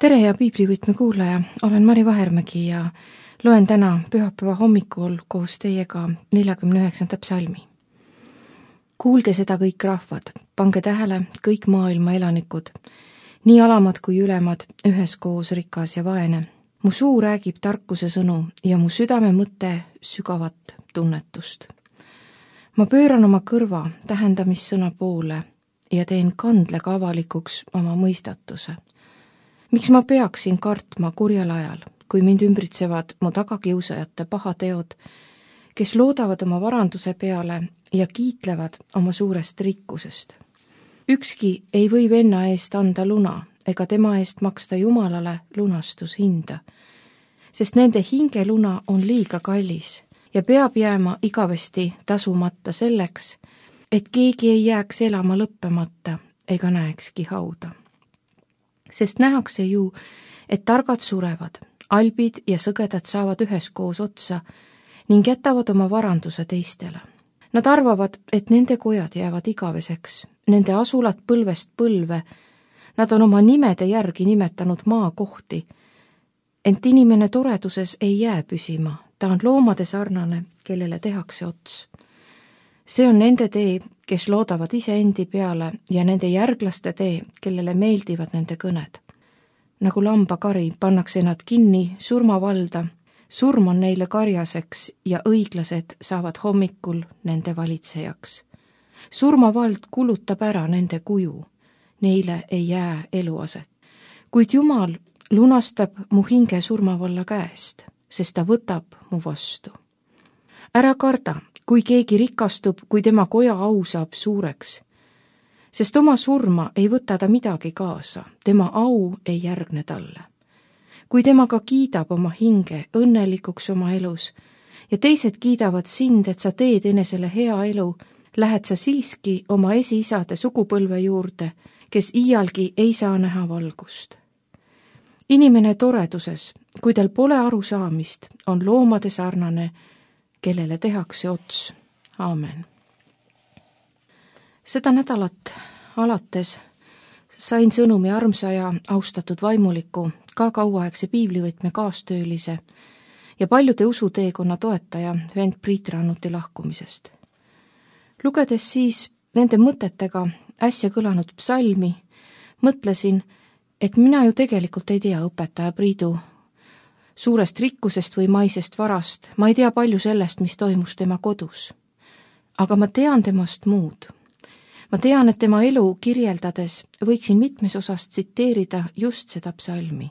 Tere ja piiblivõtme kuulaja, olen Mari Vahermägi ja loen täna pühapäeva hommikul koos teiega 49. psalmi. Kuulge seda kõik rahvad, pange tähele kõik maailma elanikud, nii alamad kui ülemad, üheskoos rikas ja vaene. Mu suu räägib tarkuse sõnu ja mu südame mõte sügavat tunnetust. Ma pööran oma kõrva tähendamissõna poole ja teen kandlega avalikuks oma mõistatuse. Miks ma peaksin kartma kurjal ajal, kui mind ümbritsevad mu tagakiusajate pahateod, kes loodavad oma varanduse peale ja kiitlevad oma suurest rikkusest? Ükski ei või venna eest anda luna ega tema eest maksta Jumalale lunastushinda, sest nende hingeluna on liiga kallis ja peab jääma igavesti tasumata selleks, et keegi ei jääks elama lõppemata ega näekski hauda. Sest nähakse ju, et targad surevad, albid ja sõgedad saavad üheskoos otsa ning jätavad oma varanduse teistele. Nad arvavad, et nende kojad jäävad igaveseks, nende asulad põlvest põlve, nad on oma nimede järgi nimetanud maakohti, ent inimene toreduses ei jää püsima, ta on loomade sarnane, kellele tehakse ots. See on nende tee, kes loodavad iseendi peale ja nende järglaste tee, kellele meeldivad nende kõned. Nagu lambakari pannakse nad kinni surmavalda, surm on neile karjaseks ja õiglased saavad hommikul nende valitsejaks. Surmavald kulutab ära nende kuju, neile ei jää eluaset. Kuid Jumal lunastab mu hinge surmavalla käest, sest ta võtab mu vastu. Ära karda, kui keegi rikastub, kui tema koja au saab suureks, sest oma surma ei võta ta midagi kaasa, tema au ei järgne talle. Kui temaga kiidab oma hinge õnnelikuks oma elus ja teised kiidavad sind, et sa teed enesele hea elu, lähed sa siiski oma esiisade sugupõlve juurde, kes iialgi ei saa näha valgust. Inimene toreduses, kui tal pole arusaamist, on loomade sarnane, kellele tehakse ots. Aamen. Seda nädalat alates sain sõnumi armsa ja austatud vaimuliku, ka kauaaegse piiblivõtme kaastöölise ja paljude usuteekonna toetaja vend Priit Rannuti lahkumisest. Lugedes siis nende mõtetega äsja kõlanud psalmi, mõtlesin, et mina ju tegelikult ei tea õpetaja Priidu suurest rikkusest või maisest varast, ma ei tea palju sellest, mis toimus tema kodus. Aga ma tean temast muud. Ma tean, et tema elu kirjeldades võiksin mitmes osas tsiteerida just seda psalmi.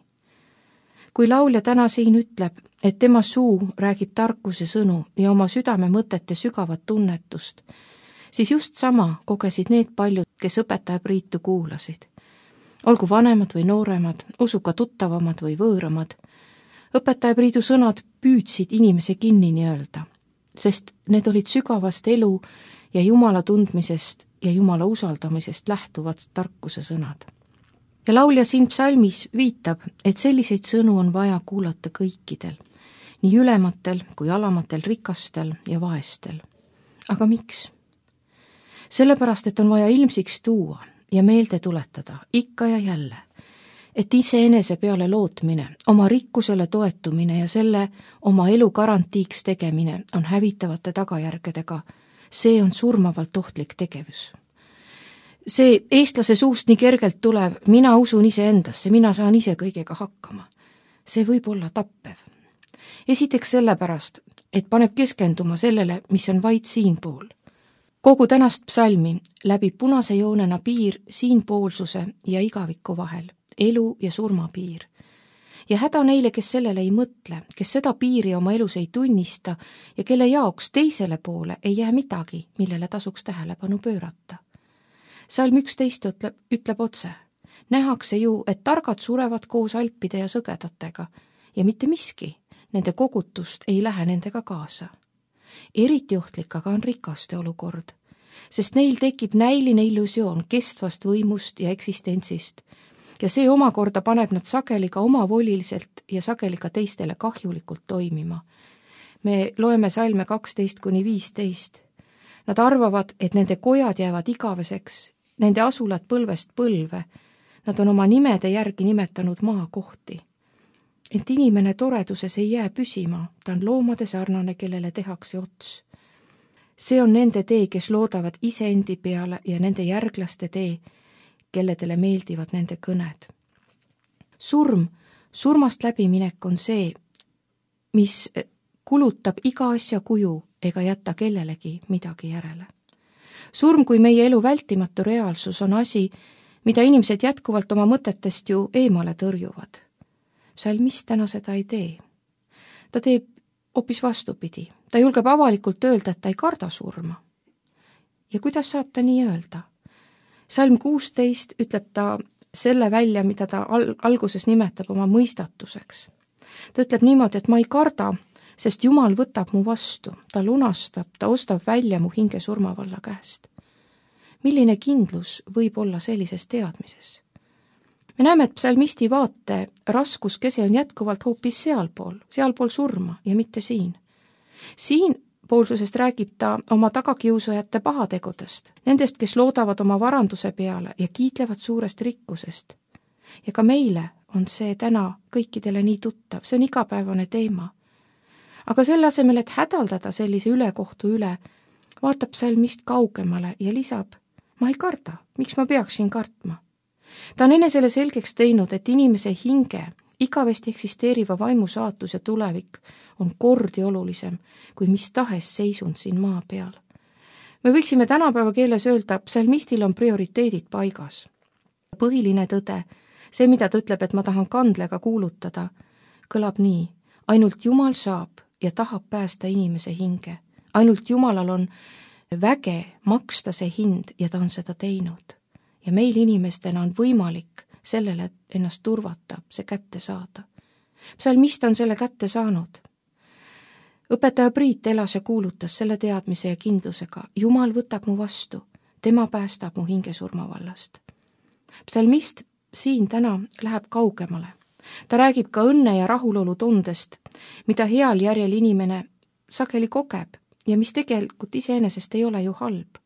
Kui laulja täna siin ütleb, et tema suu räägib tarkuse sõnu ja oma südame mõtete sügavat tunnetust, siis just sama kogesid need paljud, kes õpetaja Priitu kuulasid. Olgu vanemad või nooremad, usuga tuttavamad või võõramad, õpetaja Priidu sõnad püüdsid inimese kinni nii-öelda, sest need olid sügavast elu ja Jumala tundmisest ja Jumala usaldamisest lähtuvad tarkuse sõnad. Ja laulja siin psalmis viitab, et selliseid sõnu on vaja kuulata kõikidel, nii ülematel kui alamatel, rikastel ja vaestel. Aga miks? Sellepärast, et on vaja ilmsiks tuua ja meelde tuletada ikka ja jälle, et iseenese peale lootmine, oma rikkusele toetumine ja selle oma elu garantiiks tegemine on hävitavate tagajärgedega. See on surmavalt ohtlik tegevus. See eestlase suust nii kergelt tulev, mina usun iseendasse, mina saan ise kõigega hakkama. See võib olla tappev. Esiteks sellepärast, et paneb keskenduma sellele, mis on vaid siinpool. Kogu tänast psalmi läbib punase joonena piir siinpoolsuse ja igaviku vahel, elu ja surma piir. Ja häda neile, kes sellele ei mõtle, kes seda piiri oma elus ei tunnista ja kelle jaoks teisele poole ei jää midagi, millele tasuks tähelepanu pöörata. Salm 11 ütleb otse, nähakse ju, et targad surevad koos alpide ja sõgedatega ja mitte miski, nende kogutust ei lähe nendega kaasa. Eriti ohtlik aga on rikaste olukord, sest neil tekib näiline illusioon kestvast võimust ja eksistentsist ja see omakorda paneb nad sageli ka omavoliliselt ja sageli ka teistele kahjulikult toimima. Me loeme salme 12-15. Nad arvavad, et nende kojad jäävad igaveseks, nende asulad põlvest põlve. Nad on oma nimede järgi nimetanud maakohti. Ent inimene toreduses ei jää püsima, ta on loomade sarnane, kellele tehakse ots. See on nende tee, kes loodavad iseendi peale ja nende järglaste tee, kelledele meeldivad nende kõned. Surmast läbiminek on see, mis kulutab iga asja kuju ega jätta kellelegi midagi järele. Surm kui meie elu vältimatu reaalsus on asi, mida inimesed jätkuvalt oma mõtetest ju eemale tõrjuvad. Psalmist täna seda ei tee. Ta teeb hoopis vastupidi. Ta julgeb avalikult öelda, et ta ei karda surma. Ja kuidas saab ta nii öelda? Psalm 16 ütleb ta selle välja, mida ta alguses nimetab oma mõistatuseks. Ta ütleb niimoodi, et ma ei karda, sest Jumal võtab mu vastu, ta lunastab, ta ostab välja mu hinge surmavalla käest. Milline kindlus võib olla sellises teadmises? Me näeme, et psalmisti vaate raskuskese on jätkuvalt hoopis sealpool surma ja mitte siin. Siinpoolsusest räägib ta oma tagakiusajate pahategudest, nendest, kes loodavad oma varanduse peale ja kiitlevad suurest rikkusest. Ja ka meile on see täna kõikidele nii tuttav, see on igapäevane teema. Aga selle asemel, et hädaldada sellise ülekohtu üle, vaatab psalmist kaugemale ja lisab, ma ei karda, miks ma peaksin kartma. Ta on enesele selgeks teinud, et inimese hinge, igavesti eksisteeriva vaimu saatus ja tulevik on kordi olulisem kui mis tahes seisund siin maa peal. Me võiksime tänapäeva keeles öelda, psalmistil on prioriteedid paigas. Põhiline tõde, see, mida ta ütleb, et ma tahan kandlega kuulutada, kõlab nii, ainult Jumal saab ja tahab päästa inimese hinge. Ainult Jumalal on väge maksta see hind ja ta on seda teinud. Ja meil inimestena on võimalik sellele ennast turvata, see kätte saada. Psalmist on selle kätte saanud. Õpetaja Priit elas ja kuulutas selle teadmise ja kindlusega. Jumal võtab mu vastu, tema päästab mu hinge surmavallast. Psalmist siin täna läheb kaugemale. Ta räägib ka õnne ja rahulolu tundest, mida heal järjel inimene sageli kogeb ja mis tegelikult iseenesest ei ole ju halb,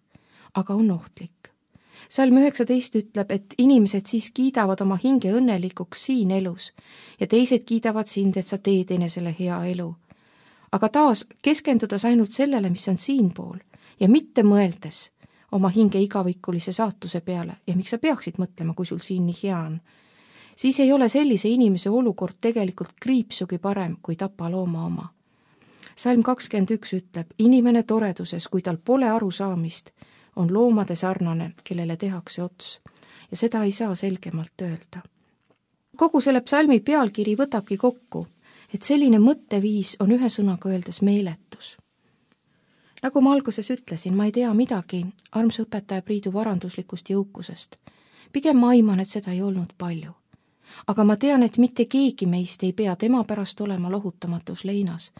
aga on ohtlik. Psalm 19 ütleb, et inimesed siis kiidavad oma hinge õnnelikuks siin elus ja teised kiidavad sind, et sa teed enesele hea elu. Aga taas keskendudes ainult sellele, mis on siinpool ja mitte mõeldes oma hinge igavikulise saatuse peale ja miks sa peaksid mõtlema, kui sul siin nii hea on, siis ei ole sellise inimese olukord tegelikult kriipsugi parem kui tapalooma oma. Psalm 21 ütleb, inimene toreduses, kui tal pole arusaamist, on loomade sarnane, kellele tehakse ots. Ja seda ei saa selgemalt öelda. Kogu selle psalmi pealkiri võtabki kokku, et selline mõtteviis on ühe sõnaga öeldes meeletus. Nagu ma alguses ütlesin, ma ei tea midagi armsa õpetaja Priidu varanduslikust jõukusest. Pigem ma aiman, et seda ei olnud palju. Aga ma tean, et mitte keegi meist ei pea tema pärast olema lohutamatus leinas.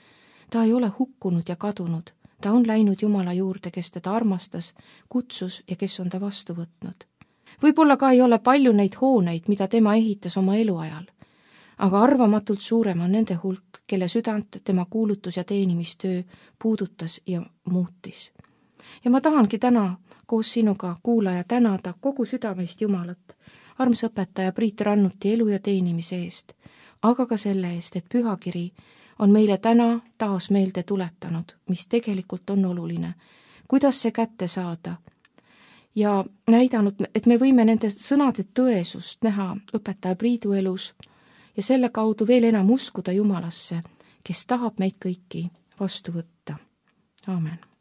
Ta ei ole hukkunud ja kadunud. Ta on läinud Jumala juurde, kes teda armastas, kutsus ja kes on ta vastu võtnud. Võib-olla ka ei ole palju neid hooneid, mida tema ehitas oma eluajal, aga arvamatult suurem on nende hulk, kelle südant tema kuulutus- ja teenimistöö puudutas ja muutis. Ja ma tahangi täna koos sinuga, kuulaja, tänada kogu südamest Jumalat, armsa õpetaja Priit Rannuti elu ja teenimise eest, aga ka selle eest, et pühakiri on meile täna taas meelde tuletanud, mis tegelikult on oluline, kuidas see kätte saada ja näidanud, et me võime nende sõnade tõesust näha õpetaja Priidu elus ja selle kaudu veel enam uskuda Jumalasse, kes tahab meid kõiki vastu võtta. Aamen.